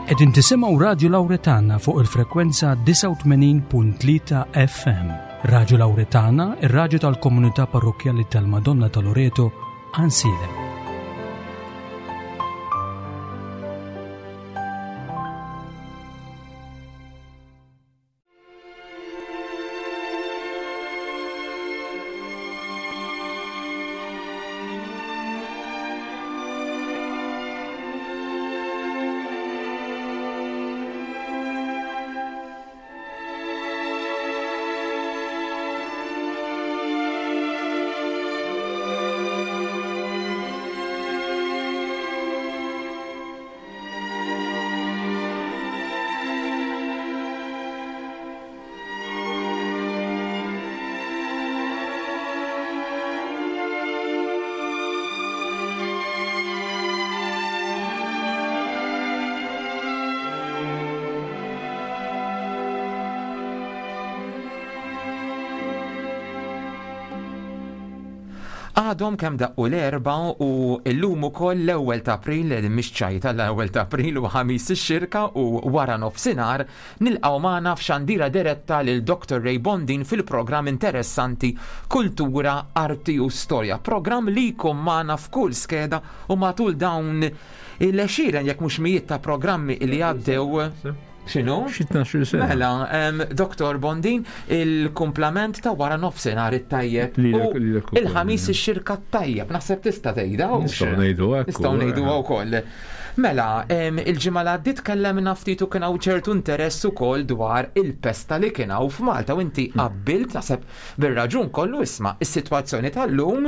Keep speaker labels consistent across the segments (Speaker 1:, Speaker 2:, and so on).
Speaker 1: Qegħdin tisimgħu Radju Lawretana fuq il-frekwenza 89.3 FM. Radju Lawretana, ir-radju tal-komunità parrokkjali tal-Madonna ta' Loreto, Ansilem.
Speaker 2: Għadhom kemm daqqu l-erba u llum ukoll l-ewwel ta' April, mhix ċajta l-ewwel ta' April u ħamis ix-xirka u wara nofsinhar nilqgħu magħna f'xandira diretta lil Dr. Ray Bondin fil-programm interessanti Kultura, Arti u Storja. Programm li jkun magħna f'kull skeda u matul dawn il-għexieren jekk mhux mijiet ta' programmi li għaddew. X'inhu?
Speaker 3: Xi 12 sena.
Speaker 2: Mela, Dr. Bondin, il-kumplament ta' wara nofsinhar it-tajjeb. Il-ħamis ix-xirka tajjeb, naħseb tista' tgħidha.
Speaker 3: Nistgħu ngħidu hekk.
Speaker 2: Nistgħu ngħidu wkoll. Mela, il-ġimgħa li għaddiet tkellemna ftit u kien hawn ċertu interess ukoll dwar il-pesta li kien hawn f'Malta u inti qabbilt naħseb bir-raġun kollu isma' is-sitwazzjoni tal-lum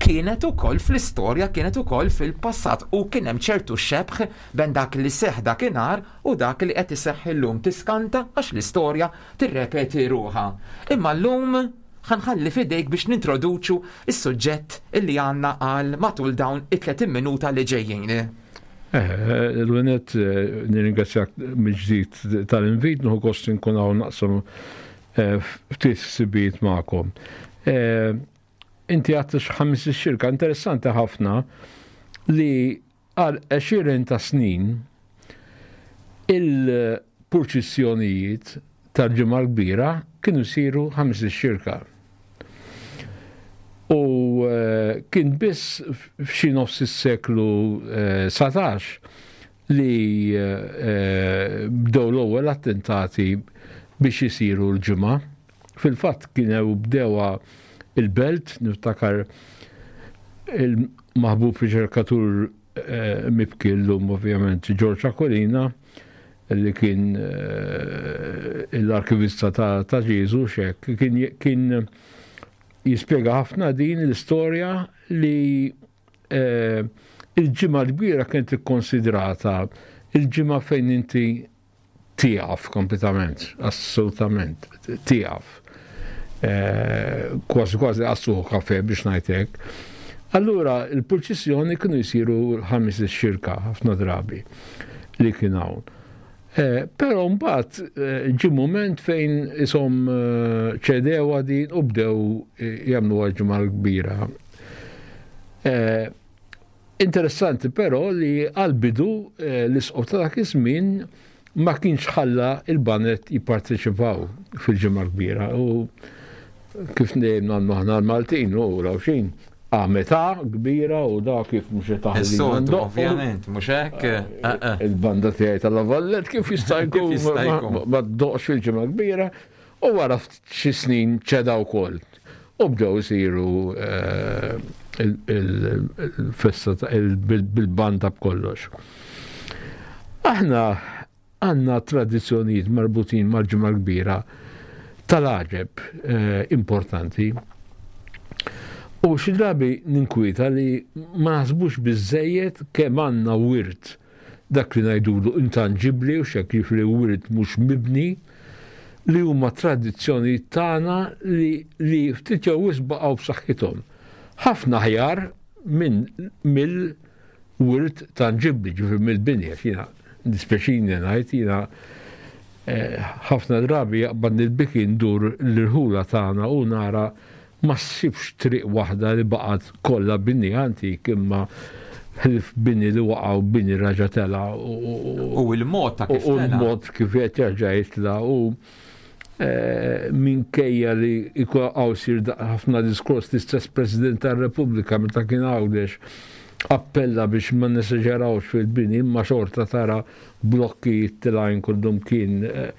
Speaker 2: kienet ukoll fl-istorja kienet ukoll fil-passat u kien hemm ċertu xebh bejn dak li seħħ dakinhar u dak li qed iseħħ illum tiskanta għax l-istorja tirrepeti ruħha. Imma llum ħa nħalli f'idejk biex nintroduċu s-suġġett illi għandna għal matul dawn it-30 minuta li ġejjin.
Speaker 3: Eh, l-għenet eh, nirringrazzjak mill-ġdid tal-invit, nħu gost nkun hawn naqsam eh, ftit ħsibijiet magħkom. Eh, inti għadt ħamis xirka interessanti ħafna li Għal għexieren ta' snin, il-purċissjonijiet tal-Ġimgħa l-Kbira kienu jsiru Ħamis ix-Xirka. U kien biss f'xi nofs is-seklu 19 li bdew l-ewwel attentati biex isiru l-Ġimgħa. Fil-fatt kienew bdewha il-Belt, niftakar il-maħbub riċerkatur eh, mibki llum ovvjament George Aquilina li kien eh, l-arkivista ta' Ġesu xek, kien jispjega ħafna din l-istorja li eh, il-ġimgħa l-kbira kienet ikkonsidrata il-ġimgħa fejn inti tieqaf kompletament, assolutament, tieqaf. Eh, kważi kważi għassuħu kafe biex ngħidlek. Allura il-purċissjoni kienu jsiru ħamis ix-xirka ħafna drabi li kien hawn. Eh, però mbagħad eh, ġi mument fejn isom ċedewa din u bdew jagħmlu ġimgħa kbira. Interessanti però li għall-bidu l-Isqof ta' dak iż-żmien ma kienx ħalla il-baned jipparteċipaw fil-Ġimgħa Kbira u kif dejjem nagħmlu aħna l-Maltin u l-Għawdxin għamet kbira u da kif mhux qed taħli.
Speaker 2: Is-soltu ovvjament, mhux hekk? Eh,
Speaker 3: eh. Il-banda tiegħi tal-Lavallet kif jista' jkun ma ddoqx fil-Ġimgħa Kbira U wara xi snin ċeda wkoll. U bdew isiru eh, il-festa bil-banda b'kollox. Aħna għandna tradizzjonijiet marbutin mal-ġimgħa kbira tal-għaġeb eh, importanti. U xi drabi ninkwieta li ma naħsbux biżejjed kemm għandna wirt dak li ngħidulu intanġibbli u x'hekk jiġifieri wirt mhux mibni, li huma tradizzjonijiet tagħna li, li ftit jew wisq baqgħu b'saħħithom. Ħafna aħjar minn mill-wirt tanġibbli, ġifieri mill-bini, għax jiena dispjaċini ngħid jiena eh, ħafna drabi jaqbadni l-biki ndur l-irħula tagħna u nara Ma ssibx triq waħda li baqgħet kollha bini antik imma Ħlief bini li waqa' u bini raġa' tela'
Speaker 2: u l-mod ta' kif
Speaker 3: U l-mod kif qed jerġa' jitla' u eh, minkejja li jkun hawn sir ħafna diskors l-istess President tar-Repubblika meta kien Għawdex appella biex ma nesaġerawx fil-bini imma xorta tara blokki tilgħin kullum kien eh,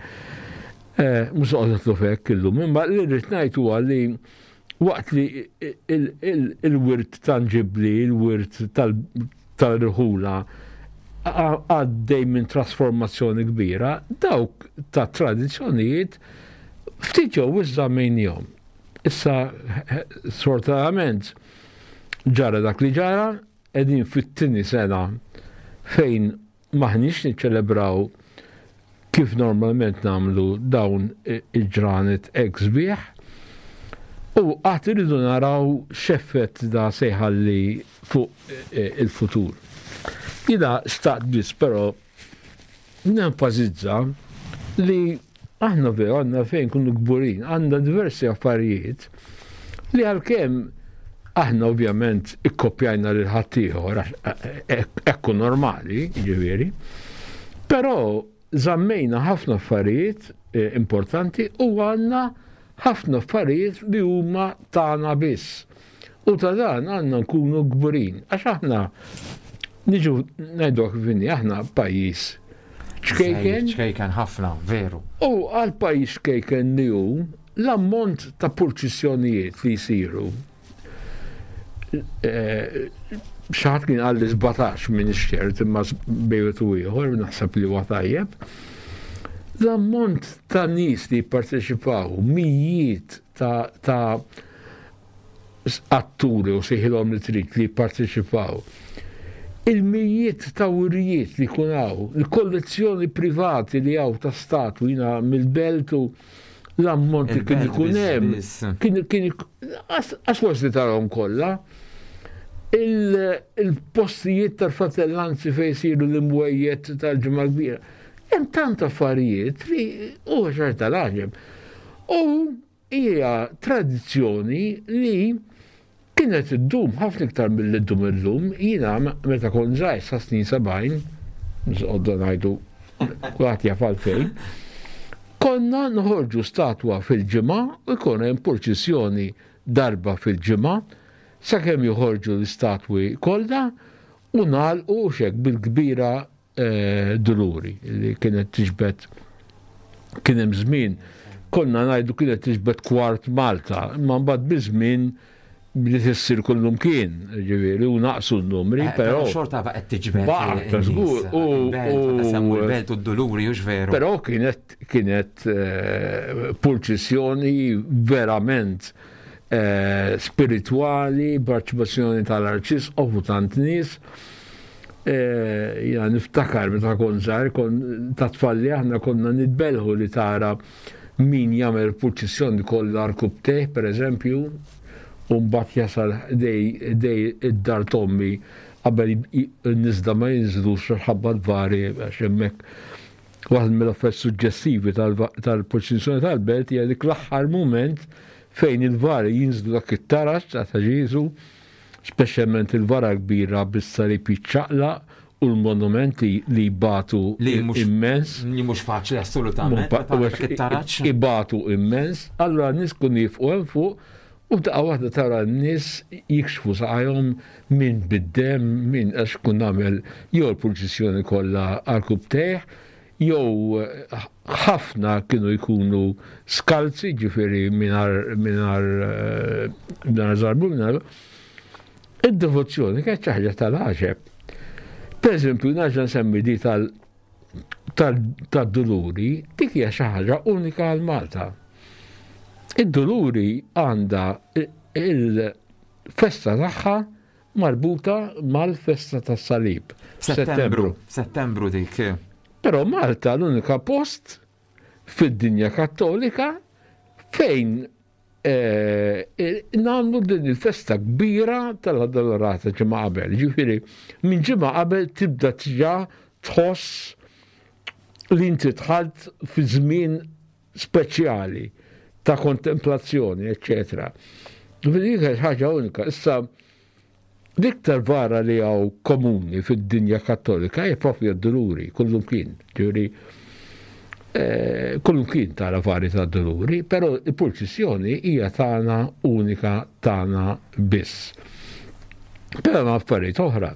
Speaker 3: eh, mhux noqgħod f'hekk illum, imma li rrid ngħid huwa li Waqt li il-wirt tanġibbli, il-wirt tal-irħula għaddej minn trasformazzjoni kbira, dawk ta' tradizzjonijiet ftit jew wisq żammejniehom. Issa sfortunatament ġara dak li ġara, qegħdin fit-tieni sena fejn M'aħniex niċċelebraw kif normalment nagħmlu dawn il-ġranet hekk sbieħ u għad irridu naraw x'effett da se jħalli fuq il-futur. Jiena xtaqt biss però nenfasizza li aħna veru għandna fejn nkunu kburin, għandna diversi affarijiet li għalkemm aħna ovvjament ikkopjajna lil ħaddieħor ekku normali, ġifieri, però żammejna ħafna affarijiet eh, importanti u għandna ħafna affarijiet li huma tagħna biss. U ta' dan għandna nkunu kburin, għax aħna niġu ngħidu kif inhi, aħna pajjiż ċkejken.
Speaker 2: Ċkejken ħafna, veru.
Speaker 3: U għal pajjiż ċkejken li hu, l-ammont ta' purċissjonijiet li jsiru eh, xaħat kien għalli 17 minn ċert imma bejwet u ieħor naħseb li huwa tajjeb. L-ammont ta' nies li jipparteċipaw, mijiet ta', ta atturi u sejħilhom li trid li jipparteċipaw. Il-mijiet ta' wirjiet li jkun hawn, il-kollezzjoni privati li hawn ta' statwi jiena mill-belt u l-ammont li kien ikun hemm. Kien kien għax forsi tarahom kollha. Il-postijiet tal-fratellanzi fejn isiru l-imwejjed tal-ġimgħa kbira. Hemm tant affarijiet li huwa xorta tal-għaġeb. U Hija tradizzjoni li kienet iddum ħafna iktar milli ddum illum. Jiena meta kont żgħir sa snin 70, mhux noqogħdu ngħidu kulħadd jaf għalfejn, konna noħorġu statwa fil-ġimgħa u jkun hemm purċissjoni darba fil-ġimgħa sakemm joħorġu l-istatwi kollha u nagħlqu u x'hekk bil-kbira Duluri li kienet tiġbed kien hemm żmien konna ngħidu kienet tiġbed kwart Malta, imma mbagħad biż-żmien bdiet issir kullum kien, ġifieri, u naqsu n-numri, eh, però.
Speaker 2: Xorta baqgħet tiġbed.
Speaker 3: Baqgħet, żgur.
Speaker 2: U l-belt u d-duluri, hux veru.
Speaker 3: Però kienet kienet eh, purċissjoni verament eh, spiritwali, parċipazzjoni tal-arċisqof u tant nies. Eh, jina niftakar meta kont żgħar, kon ta' tfalli aħna konna nitbelħu li tara min jagħmel purċissjoni kollha arkubteh, per eżempju, u mbagħad jasal dej dej id-dar tommi qabel n-niżla ma jinżlux ħabba l-vari għax hemmhekk waħda mill-affarijiet suġġestivi tal-purċissjoni tal-belt hija dik l-aħħar mument fejn il-vari jinżlu dak it-taraġ ta' Ġieżu speċjalment il-vara kbira bis-salib jiċċaqlaq u l-monument li jbatu immens.
Speaker 2: Li mhux faċli assolutament.
Speaker 3: Ibatu immens, allura n-nies kun jifqu hemm fuq u daqqa waħda tara n-nies jikxfu saqajhom min bid-demm, min għax kun nagħmel jew l-purċissjoni kollha għal kubtejh, jew ħafna kienu jkunu skalzi, ġifieri mingħajr mingħajr żarbu mingħajr id-devozzjoni kienet xi ħaġa tal-għaġeb. Per eżempju, nerġa' nsemmi di tad-duluri, dik hija xi ħaġa unika għal Malta. Id-duluri għandha il-festa tagħha marbuta mal-festa tas-salib.
Speaker 2: Settembru. Settembru dik.
Speaker 3: Però Malta l-unika post fid-dinja kattolika fejn eh, nagħmlu din il-festa kbira tal-Addolorata ġimgħa qabel. Ġifieri, minn ġimgħa qabel tibda tiġa tħoss li inti dħalt fi żmien speċjali ta' kontemplazzjoni, eċċetera. Ġifieri dik ħaġa unika. Issa L-iktar vara li hawn komuni fid-dinja Kattolika hija propju d-Duluri, kullumkien. Ġifieri eh, kullumkien tara vari ta' Duluri, però il-purċissjoni hija tagħna unika tagħna biss. Però hemm affarijiet oħra.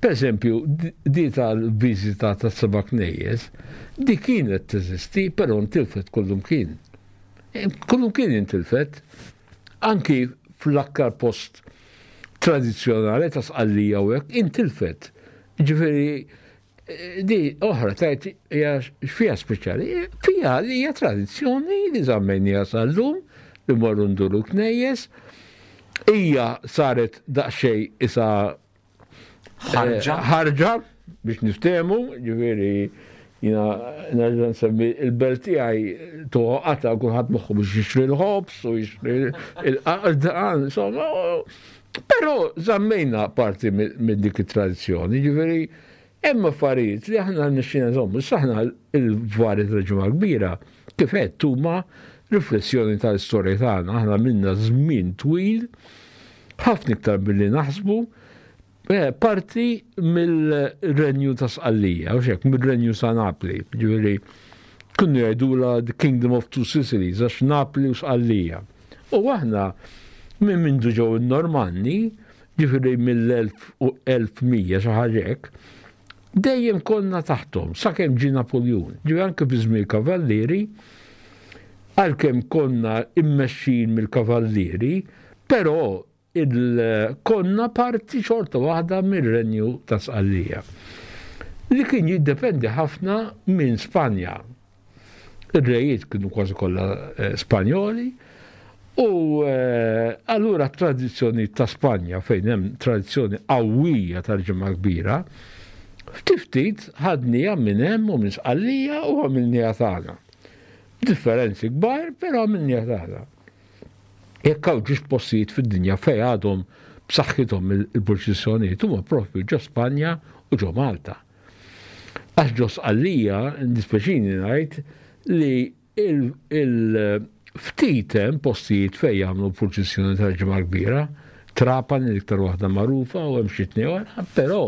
Speaker 3: Per eżempju, di tal-viżita ta' seba' knejjes, di kienet teżisti, però ntilfet kullumkien. Kullumkien intilfet. Anki fl-aktar post tradizzjonali ta' Sqallija u hekk intilfet. Ġifieri di oħra tajt hija fiha speċjali, fiha li hija tradizzjoni li żammejniha sal-lum li morru nduru knejjes, hija saret daqsxejn isa
Speaker 2: Ħarġa.
Speaker 3: Ħarġa biex niftehmu, ġifieri jiena nerġa' nsemmi il-belt tiegħi toqgħata kulħadd moħħu biex jixtri l-ħobż u jixtri l-qaqda, insomma. Però żammejna parti minn dik it-tradizzjoni, ġifieri hemm affarijiet li aħna nixxina nżommu. Issa aħna l-vari tal-ġimgħa kbira kif għedt huma riflessjoni tal-istorja tagħna, aħna minna żmien twil ħafna iktar milli naħsbu, eh, parti mill-renju ta' Sqallija, u xek, mill-renju ta' Napli, ġifieri kienu jgħidula the Kingdom of Two Sicilies, għax Napli u Sqallija. U aħna minn mindu ġew in-Normanni, ġifieri mill-1100 xi ħaġa hekk, dejjem konna taħthom sakemm ġie Napoljun. Ġifieri anke fi żmien Kavallieri, għalkemm konna immexxin mill-Kavallieri, però konna parti xorta waħda mir-Renju ta' Sqallija. Li kien jiddependi ħafna minn Spanja. Ir-rejiet kienu kważi kollha eh, Spanjoli u eh, allura tradizzjoni ta' Spanja fejn hemm tradizzjoni qawwija tal-ġimgħa kbira, ftit ftit ħadnija minn hemm u minn Sqallija u għamilniha tagħna. Differenzi kbar, però għamilniha tagħna. Jekk hawn ġiex postijiet fid-dinja fejn għadhom b'saħħithom il-purċissjonijiet huma propju ġo Spanja u ġo Malta. Għax ġo Sqallija, dispjaċini ngħid li il-ftit hemm postijiet fejn jagħmlu purċissjoni tal-Ġimgħa Kbira, Trapani l-iktar waħda magħrufa u hemm xi tnejn oħra, però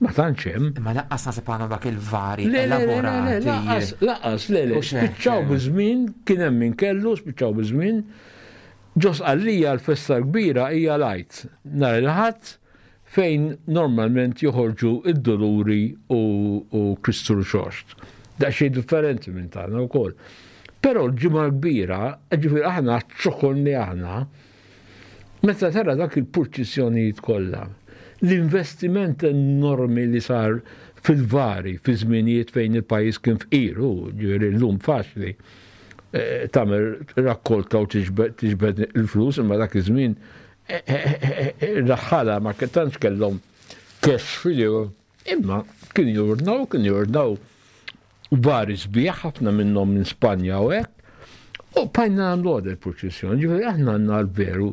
Speaker 3: ma tantx hemm.
Speaker 2: Imma lanqas naħseb għandhom dak il-vari elaborati.
Speaker 3: Lanqas, lanqas, le, le, spiċċaw biż-żmien, kien hemm min kellu, spiċċaw biż-żmien. Ġo Sqallija l-festa l-kbira hija l-Għid, nhar il-Ħadd fejn normalment joħorġu d-Duluri u Kristu Rxoxt. Daqsxejn differenti minn tagħna wkoll. Però l-Ġimgħa l-Kbira, ġifieri aħna ċ-ċokon li aħna, meta tara dak il-purċissjonijiet kollha, l-investiment enormi li sar fil-vari fi żminijiet fejn il-pajjiż kien fqir, u ġifieri llum faċli eh, tagħmel rakkolta u tiġbed il-flus, imma dak iż-żmien Ir-raħħala ma tantx kellhom cash f'idejhom, imma kienu jordnaw, kienu jordnaw vari sbieħ ħafna minnhom minn Spanja u hekk. U bqajna nagħmlu għad il-purċissjoni, ġifieri aħna għandna l-veru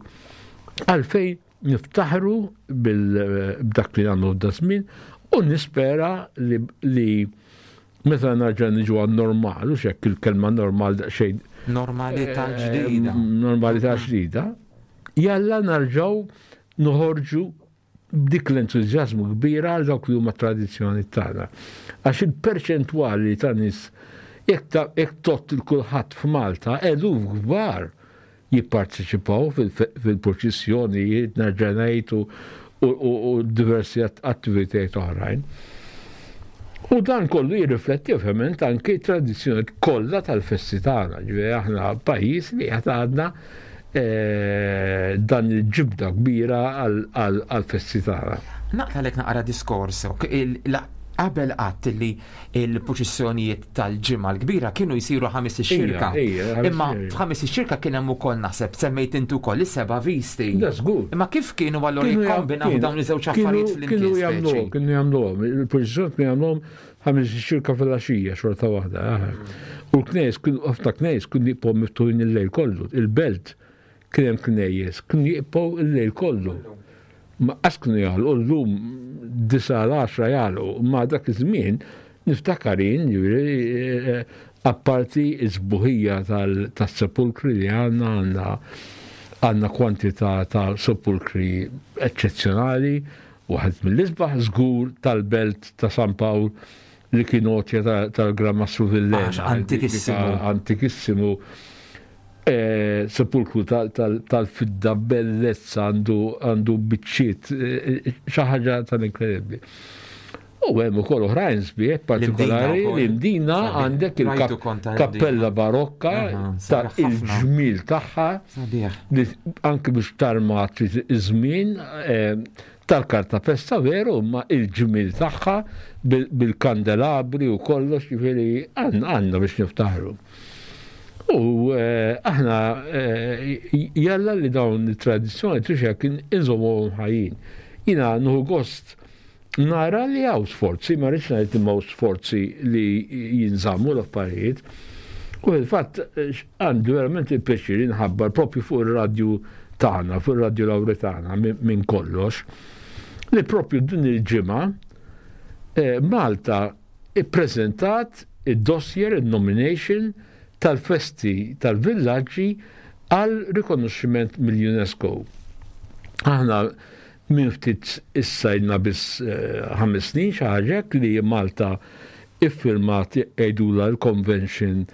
Speaker 3: għalfejn niftaħru b'dak li nagħmlu f'da żmien u nispera li meta narġa' niġu għan-normal, u xekk il-kelma normal daqsxejn.
Speaker 2: Normalità eh, ġdida.
Speaker 3: Normalità ġdida. Jalla narġgħu noħorġu b'dik l-entużjażmu kbira għal dawk li huma tradizzjoni tagħna. Għax il-perċentwali ta' nies jekk tott il kulħadd f'Malta eluf kbar jipparteċipaw fil-purċissjonijiet, nerġa' ngħid u diversi attivitajiet oħrajn. U dan kollu jirrifletti ovvjament anki tradizzjoni kollha tal-festi tagħna, ġifieri aħna pajjiż li qed għadna eh, dan il-ġibda kbira għal-festi tagħna.
Speaker 2: Naqtalek naqra diskors, qabel qatt li il-purċissjonijiet tal-Ġimgħa l-Kbira kienu jsiru ħamis ix-xirka. Imma f'ħamis ix-xirka kien hemm ukoll naħseb semmejt inti ukoll is-seba' visti. Imma kif kienu allura jikkombinaw dawn iż-żewġ affarijiet
Speaker 3: flimkien? Kienu jagħmluhom, kienu jagħmluhom, il-purċissjoni kienu jagħmluhom ħamis ix-xirka fil-għaxija xorta waħda. U l-knejjes kienu ħafna knejjes kienu jibqgħu miftuħin il-lejl kollu, il-belt Kien hemm knejjes, kienu jibqgħu l-lejl kollu. Ma qas kienu jagħlqu llum disa' l-għaxra jagħlqu, imma dak iż-żmien niftakar jien, ġifieri eh, apparti s-sbuħija tas-sepulkri li għandna għandna għandna kwantità ta' sepulkri eċċezzjonali. Waħed mill-isbaħ żgur tal-belt ta' San Pawl li kien għotja tal-Gran Mastru Villena.
Speaker 2: Antikissimu.
Speaker 3: Antikissimu. Eh, sepulkru tal-fidda bellezza għandu biċċiet eh, xi ħaġa tal-inkredibbli. U hemm ukoll oħrajn sbieħ partikolari l-Imdina għandek il-kappella barokka ta' il-ġmil tagħha li anki biex tarma trid iż-żmien eh, tal-karta pesta veru imma il-ġmil tagħha bil-kandelabri u kollox ġifieri għandna biex niftaħru. U eh, aħna eh, jalla li dawn it-tradizzjoni trixek inżommuhom ħajjin. Jina nħu gost Nara li hawn sforzi, ma rridx ngħid li m'hawn sforzi li jinżammu l-affarijiet. U fil-fatt għandi verament il-pjaċir inħabbar propju fuq ir-radju tagħna, fuq ir-radju Lawretana minn kollox, li propju din il-ġimgħa eh, Malta ippreżentat id-dossier, il-nomination tal-festi tal-villaġġi għal rikonoxximent mill-UNESCO. Aħna Minn ftit issa ilna biss ħames snin xi ħaġa hekk li Malta iffirmat jgħidulha l-Convention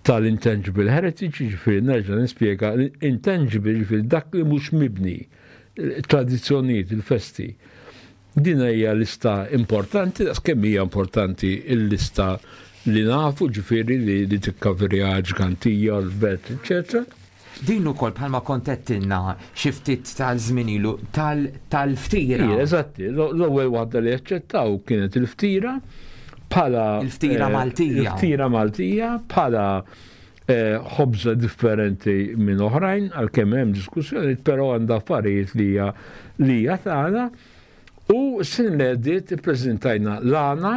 Speaker 3: tal-Intangible Heritage, jiġifieri nerġa' nispjega, intangible jiġifieri dak li mhux mibni, tradizzjonijiet, il-festi. Din hija lista importanti, daqs kemm hija importanti l-lista li nafu, ġifieri li tikkaverja ġgantija, l-belt, eċċetera.
Speaker 2: Din ukoll bħalma kont għedtilna xi ftit tal-żmien ilu tal-ftira.
Speaker 3: Eżatti, l-ewwel waħda li aċċettaw kienet il-ftira bħala
Speaker 2: Il-ftira eh, Maltija.
Speaker 3: Il-ftira Maltija bħala eh, ħobża differenti minn oħrajn għalkemm hemm diskussjoni, però għandha affarijiet li hija li hija tagħna u sin li ippreżentajna l-għana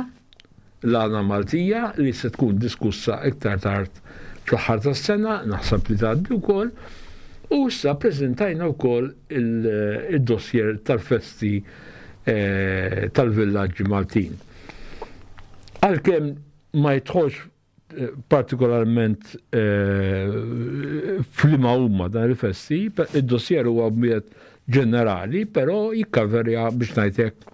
Speaker 3: L-għana Maltija li se tkun diskussa iktar tard fl-aħħar tas-sena, naħseb li tgħaddi wkoll, u issa ppreżentajna wkoll id-dossier tal-festi eh, tal-villaġġi Maltin. Għalkemm ma jidħolx eh, partikolarment eh, f'liema huma dan il-festi, id-dossier huwa b'miet ġenerali, però jikkaverja biex ngħidlek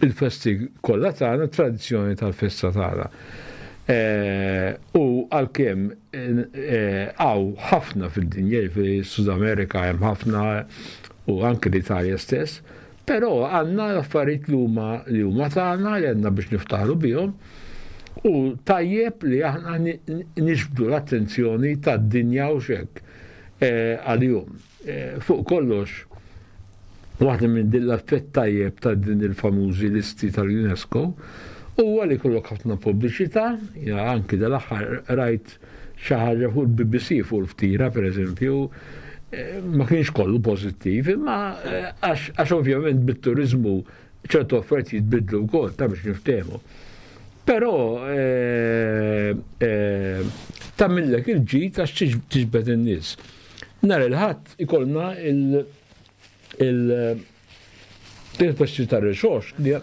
Speaker 3: il-festi kollha tagħna, tradizzjoni tal-festa tagħna. Eh, u għalkemm hawn ħafna fid-dinja, fi Sud Amerika hemm ħafna u anke l-Italja stess, Però għandna l-affarijiet li huma li huma tagħna li għandna biex niftaħru bihom u tajjeb li aħna niġbdu l-attenzjoni tad-dinja u xek eh, għalihom. Eh, fuq kollox, waħda minn din l-affett tajjeb ta' din il-famużi listi tal-UNESCO huwa li kollok ħafna pubbliċità, anki dal-aħħar rajt xi ħaġa fuq il-BBC fuq il-ftira pereżempju, eh, ma kienx kollu pożittiv, imma eh, għax ovvjament bit-turizmu ċertu affarijiet jitbidlu wkoll ta' biex niftehmu. Però eh, tagħmillek il-ġid għax tiġbed in-nies. Nhar il-ħadd ikollna il-festi tar-rixox li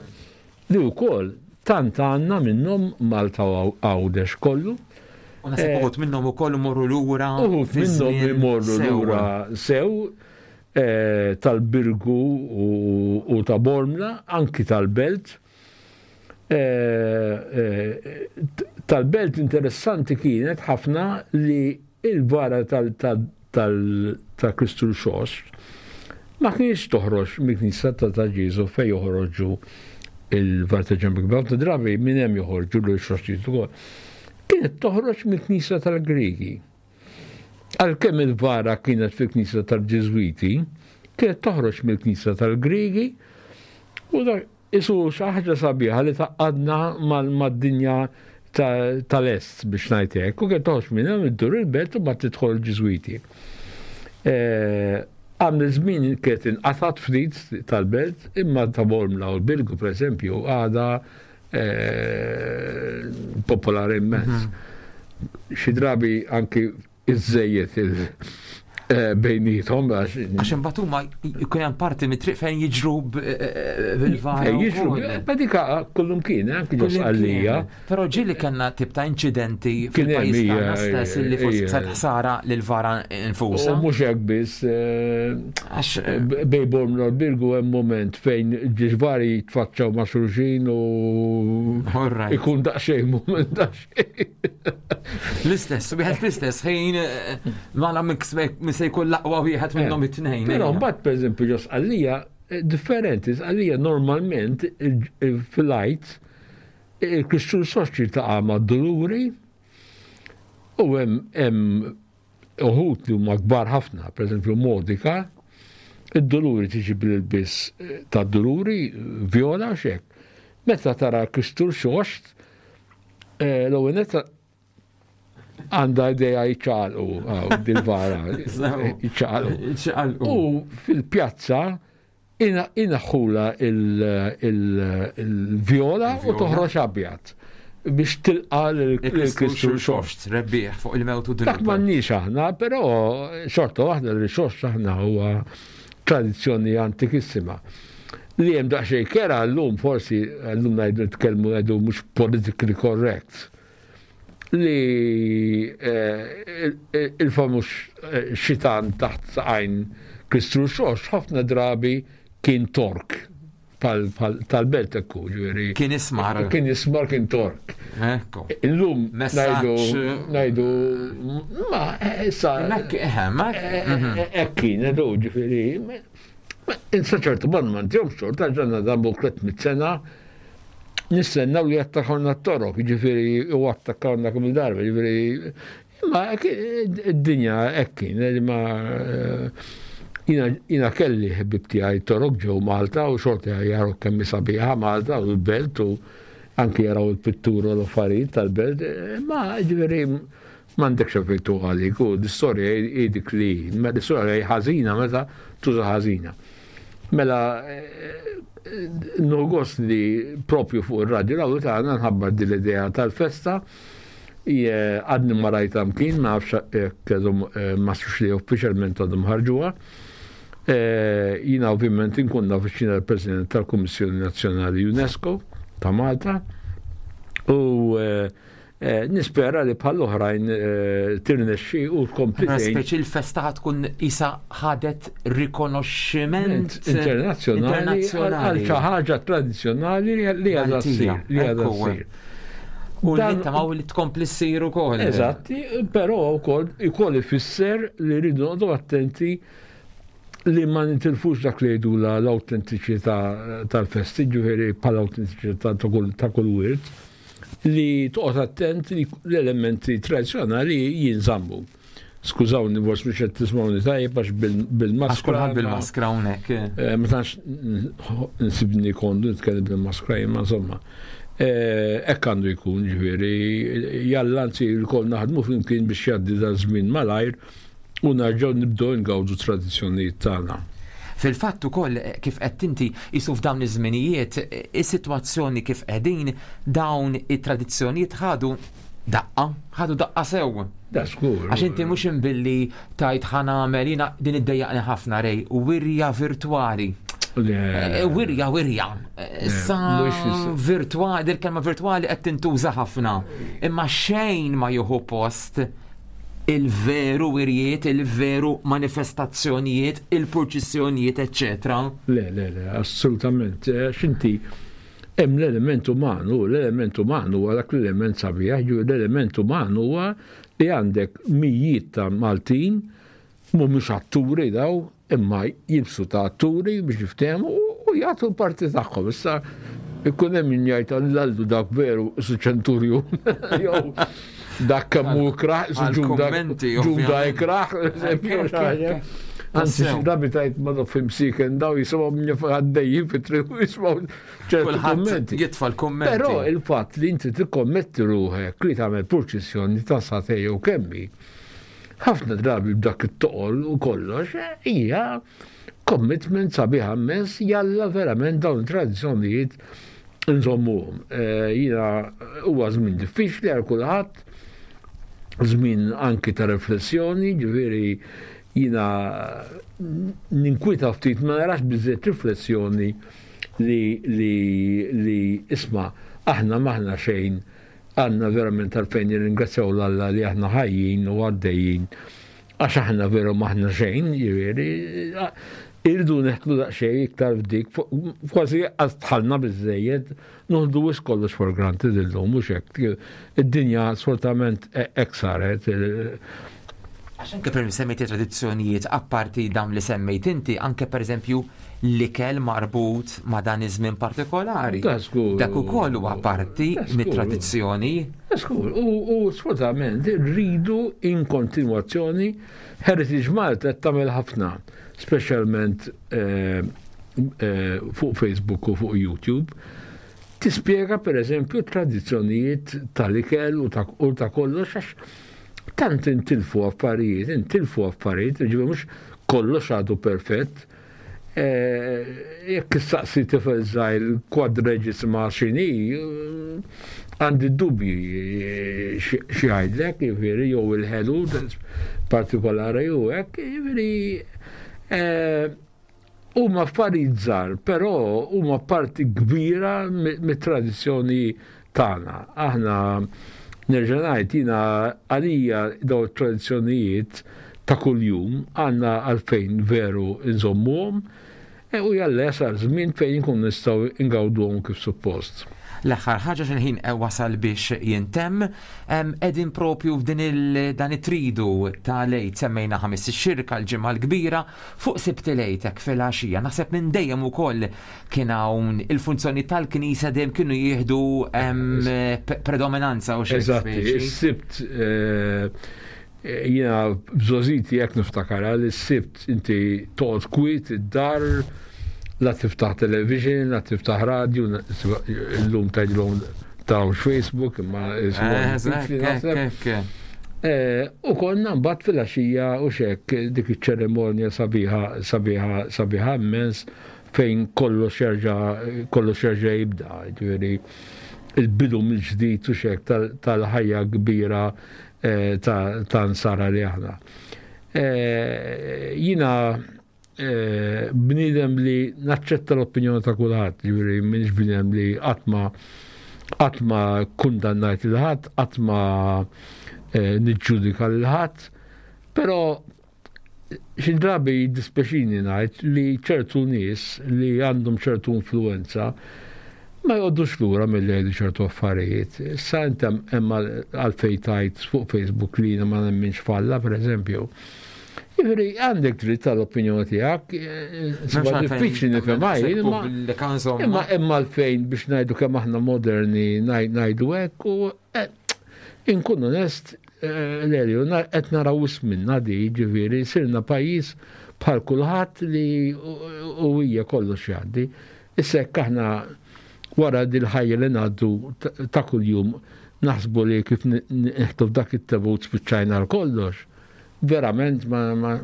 Speaker 3: Li wkoll tant għandna minnhom Malta u Għawdex kollu.
Speaker 2: U naħseb eh, uħud minnhom ukoll imorru lura.
Speaker 3: Uħud minnhom imorru lura sew eh, tal-Birgu u ta' Bormla, anki tal-Belt. Eh, tal-Belt interessanti kienet ħafna li il-vara ta' Kristu Rxoxt ma kienx toħroġ mill-knisja ta' ta' Ġieżu fejn joħorġu il-var ta' ġemb kbar ta' drabi minn hemm joħorġu l-xroxtijiet ukoll. Kienet toħroġ mill-knisja tal-Griegi. Għalkemm il-vara kienet fil-knisja tal-Ġiżwiti, kienet toħroġ mill-knisja tal-Griegi u Qisu xi ħaġa sabiħa li tgħaqqadna mad-dinja tal-est biex ngħid hekk, u kien toħroġ minn hemm iddur il-belt u mbagħad tidħol il-Ġiżwiti. Eh, għamil żmien kienet inqatgħat ftit tal-belt, imma ta' Bormla u l-Birgu pereżempju għadha eh, popolari immens. Mhm. Xi drabi anki iżżejjed Eh, bejnietom
Speaker 2: għax. Għax imbagħad huma jkun hemm parti mit-triq fejn jiġru eh, bil-vara.
Speaker 3: Jiġru, ma dika kullum kien, eh, anki ġo Sqallija.
Speaker 2: Però ġieli kellna tip ta' inċidenti fil-pajjiż tagħna stess li forsi sar ħsara lil vara infusa.
Speaker 3: U mhux hekk biss. Għax bej Bormla l-Birgu hemm moment fejn ġiġvari jitfaċċaw ma' xulxin u ikun daqsxejn moment daqsxejn.
Speaker 2: L-istess, wieħed fl-istess ħin eh, ma la minn se jkun l-aqwa wieħed minnhom it-tnejn.
Speaker 3: Però mbagħad pereżempju ġo Sqallija eh, differenti, Sqallija normalment fil-għid il-Kristu Soċi ta' ma' doluri u hemm uħud li huma kbar ħafna, pereżempju Modika, id-doluri tiġi bil-biss eh, ta' doluri viola xek. Meta tara Kristu Xoxt, Eh, l-ewwel netta għandha idea jċaqalqu dil-vara. Jċaqalqu. U fil-pjazza inaħħula il-viola u toħroġ abjad biex tilqa l-Kristu
Speaker 2: xoxt, rebbieħ fuq il-mewt u
Speaker 3: Dak m'għandniex aħna, però xorta waħda li xoxt aħna huwa tradizzjoni antikissima. Li hemm daqsxejn kera llum forsi llum ngħidu nitkellmu ngħidu mhux politically correct li eh, il-famuż eh, xitan taħt saqajn Kristu Xox ħafna drabi kien tork tal-belt ekku, ġveri.
Speaker 2: Kien ismar.
Speaker 3: Kien ismar kien tork.
Speaker 2: Ekku.
Speaker 3: Illum najdu, najdu, ma, issa.
Speaker 2: Ma,
Speaker 3: ekkin, edu, ġveri. Insa ċertu man ma ntihomx xorta ġanna dan bu 300 sena nistennaw li jattakawna t-torok, ġifiri, u attakkawna kemm il-darba, ġifiri, Imma id-dinja hekk kien, imma eh, jina kelli ħbib tiegħi torok ġew Malta u xorta jaraw kemm sabiħa Malta u l-belt u anki jaraw il-pittura u l-affarijiet tal-belt, imma ġifieri m'għandekx affettu għalik u l-istorja hi dik li, l-istorja hi ħażina meta tuża ħażina. Mela, nieħu gost li propju fuq ir-radju l tagħna nħabbar din l-idea tal-festa. Għadni ma rajta mkien, ma nafx jekk ma nafx li uffiċjalment għadhom ħarġuha. Jiena ovvjament inkun naf x'jiena l-President tal-Kummissjoni Nazzjonali UNESCO ta' Malta u nispera li bħal oħrajn tirnexxi u tkompli.
Speaker 2: Speċi l-festa tkun isa ħadet rikonoxximent
Speaker 3: internazzjonali għal xi ħaġa tradizzjonali li għadha ssir. Li għadha ssir.
Speaker 2: U nittamaw li tkompli ssir ukoll.
Speaker 3: Eżatti, però wkoll ukoll ifisser li rridu noqogħdu attenti li ma nitilfux dak li jgħidu l-awtentiċità tal-festi, ġifieri bħala awtentiċità ta' kull wirt, li toqgħod attent li l-elementi tradizzjonali jinżammu. Skużawni, forsi mhux qed tismgħuni tajjeb għax bil-maskra.
Speaker 2: Għax kulħadd bil-maskra hawnhekk.
Speaker 3: Eh, ma tantx nsibni kondu nitkellem bil-maskra imma insomma. Eh, hekk għandu jkun ġifieri, jalla anzi lkoll naħdmu flimkien biex jgħaddi da żmien malajr u nerġgħu nibdew ingawdu tradizzjonijiet tagħna.
Speaker 2: Fil-fatt ukoll eh, kif qed inti jisu f'dawn iż-żminijiet is-sitwazzjoni kif qegħdin dawn it-tradizzjonijiet ħadu daqqa, ħadu daqqa sew.
Speaker 3: Da żgur.
Speaker 2: Għax inti mhux imbilli tajt ħa nagħmel jiena din iddejjaqni ħafna rej, wirja virtwali. Eh, wirja, wirja. Eh, sa virtuali, dil-kelma virtuali qed tintuża ħafna. Imma xejn ma jieħu post il-veru wirjiet, il-veru manifestazzjonijiet, il-purċissjonijiet, eccetera.
Speaker 3: Le, le, le, assolutament. Eh, xinti, Hemm l-element uman u l-element uman huwa dak l-element sabiħ, ġifieri l-element uman huwa li għandek mijiet ta' Maltin mhumiex atturi daw, imma jilbsu ta' atturi biex jiftehmu u jagħtu l-parti tagħhom. Issa ikun hemm min jgħid allallu dak veru su ċenturju jew dak kemm hu ikrah, su ġuda ġuda ikrah, eżempju, Anzi, xi drabi tajt ma naf imsiken daw jisimgħu minn għaddejjin fit-triq u jisimgħu ċertu kummenti.
Speaker 2: Jitfa' l-kummenti.
Speaker 3: Però il-fatt li inti tikkommetti ruħek li tagħmel purċissjoni ta' satej jew kemmi, ħafna drabi b'dak it-toqol u kollox, hija commitment sabiħa immens jalla verament dawn it-tradizzjonijiet nżommuhom. Eh, jiena huwa żmien diffiċli għal kulħadd, żmien anki ta' riflessjoni, ġifieri. Jiena ninkwieta ftit ma narax biżżejjed riflessjoni li li li isma' aħna m'aħna xejn għandna verament għalfejn nirringrazzjaw 'l Alla li aħna ħajjin u għaddejjin għax aħna veru m'aħna xejn, jiġifieri irridu neħtlu daqsxejn iktar f'dik, kważi għax dħalna biżżejjed, noħdu wisq kollox for granted illum, mhux hekk. Id-dinja sfortunatament hekk saret.
Speaker 2: Għax anke per semmejt tradizzjonijiet apparti dawn li semmejt inti, anke per eżempju l-ikel marbut ma' dan iż-żmien partikolari. Dak ukoll huwa parti mit-tradizzjoni.
Speaker 3: Żgur, u sfortunatament rridu in kontinwazzjoni Heritage Malta qed tagħmel ħafna, speċjalment eh, eh, fuq Facebook u fuq YouTube. Tispjega pereżempju tradizzjonijiet tal-ikel u ta' kollox għax tant intilfu affarijiet, intilfu affarijiet, ġifieri mhux kollox għadu perfett. Eh, jekk issaqsi tifel żgħir kwadreġisma x'inhi, għandi dubji eh, xi jgħidlek, jiġifieri jew il-ħelu partikolari u hekk, jiġifieri eh, huma affarijiet żgħar, però huma parti kbira mit-tradizzjoni tagħna. Aħna nerġa' ngħid jiena għalija dawn it-tradizzjonijiet ta' kuljum għandna għalfejn veru nżommuhom e, u jalla jasal żmien fejn inkunu nistgħu ngawduhom kif suppost.
Speaker 2: L-aħħar ħaġa x'il-ħin e, wasal biex jintemm, qegħdin propju f'din dan it-tridu ta' lejt semmejna ħamis ix-xirka l-ġimgħa l-kbira fuq Sibt il-Għid hekk filgħaxija. Naħseb minn dejjem ukoll kien hawn il-funzjoni tal-Knisja dejjem kienu jieħdu predominanza u xi.
Speaker 3: Eżatt, is-Sibt eh, jiena bżożiti jekk niftakara li s-Sibt inti toqgħod kwiet id-dar la tiftaħ television, la tiftaħ radio, illum tgħidilhom tarawx Facebook imma eh, eh, U konna mbagħad filgħaxija u xek dik iċ-ċerimonja sabiħa sabiħa sabiħa immens fejn kollox jerġa' kollox jerġa' jibda, jiġifieri il-bidu mill-ġdid u xek tal-ħajja kbira eh, ta' nsara li aħna. Eh, jina eh, bniedem li naċċetta l-opinjoni ta' kulħadd, jiġifieri m'iniex bniedem li qatt ma qatt ma kundannajt lil ħadd, qatt ma niġġudika lil ħadd, però Xi drabi jiddispjaċini ngħid li ċertu nies li għandhom ċertu influwenza ma joqogħdux lura milli jgħidu ċertu affarijiet. Issa inti hemm għalfejn tgħid fuq Facebook li jiena ma nemminx f'Alla, pereżempju. Jiġifieri għandek dritt tal-opinjoni tiegħek, eh, diffiċli nifhimha imma imma għalfejn biex ngħidu kemm aħna moderni ngħidu hekk u eh, inkun onest, Lelio, qed naraw wisq minna di, ġifieri sirna pajjiż bħal kulħadd li u hija kollox jgħaddi. Issa jekk aħna wara dil-ħajja li ngħaddu ta' kuljum naħsbu li kif nieħdu f'dak it-tebut spiċċajna għal kollox, verament ma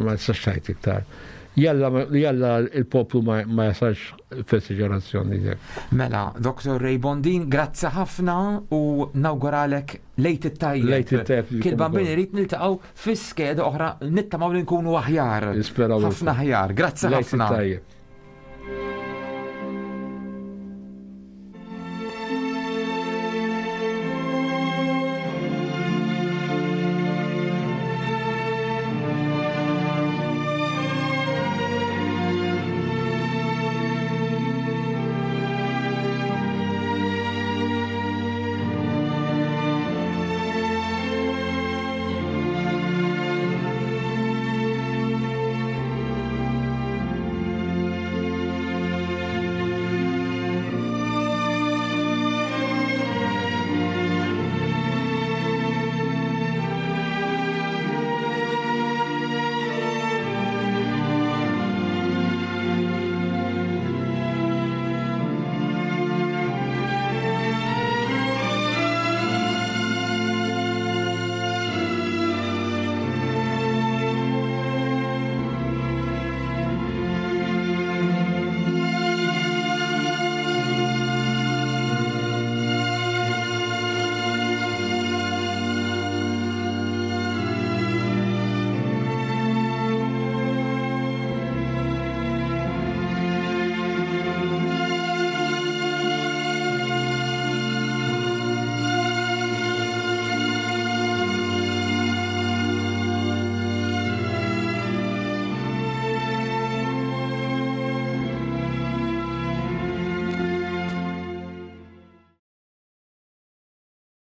Speaker 3: nistax ngħid iktar. Jalla jalla il-poplu ma jasalx f'esaġerazzjoni dik.
Speaker 2: Mela, Dr. Ray Bondin, grazzi ħafna u nawguralek lejt it-tajjeb.
Speaker 3: Lejt it-tajjeb.
Speaker 2: Kien bambin irid niltaqgħu fi skeda oħra nittamaw li nkunu aħjar.
Speaker 3: Nisperaw.
Speaker 2: Ħafna aħjar. Grazzi ħafna.
Speaker 3: Lejt it-tajjeb.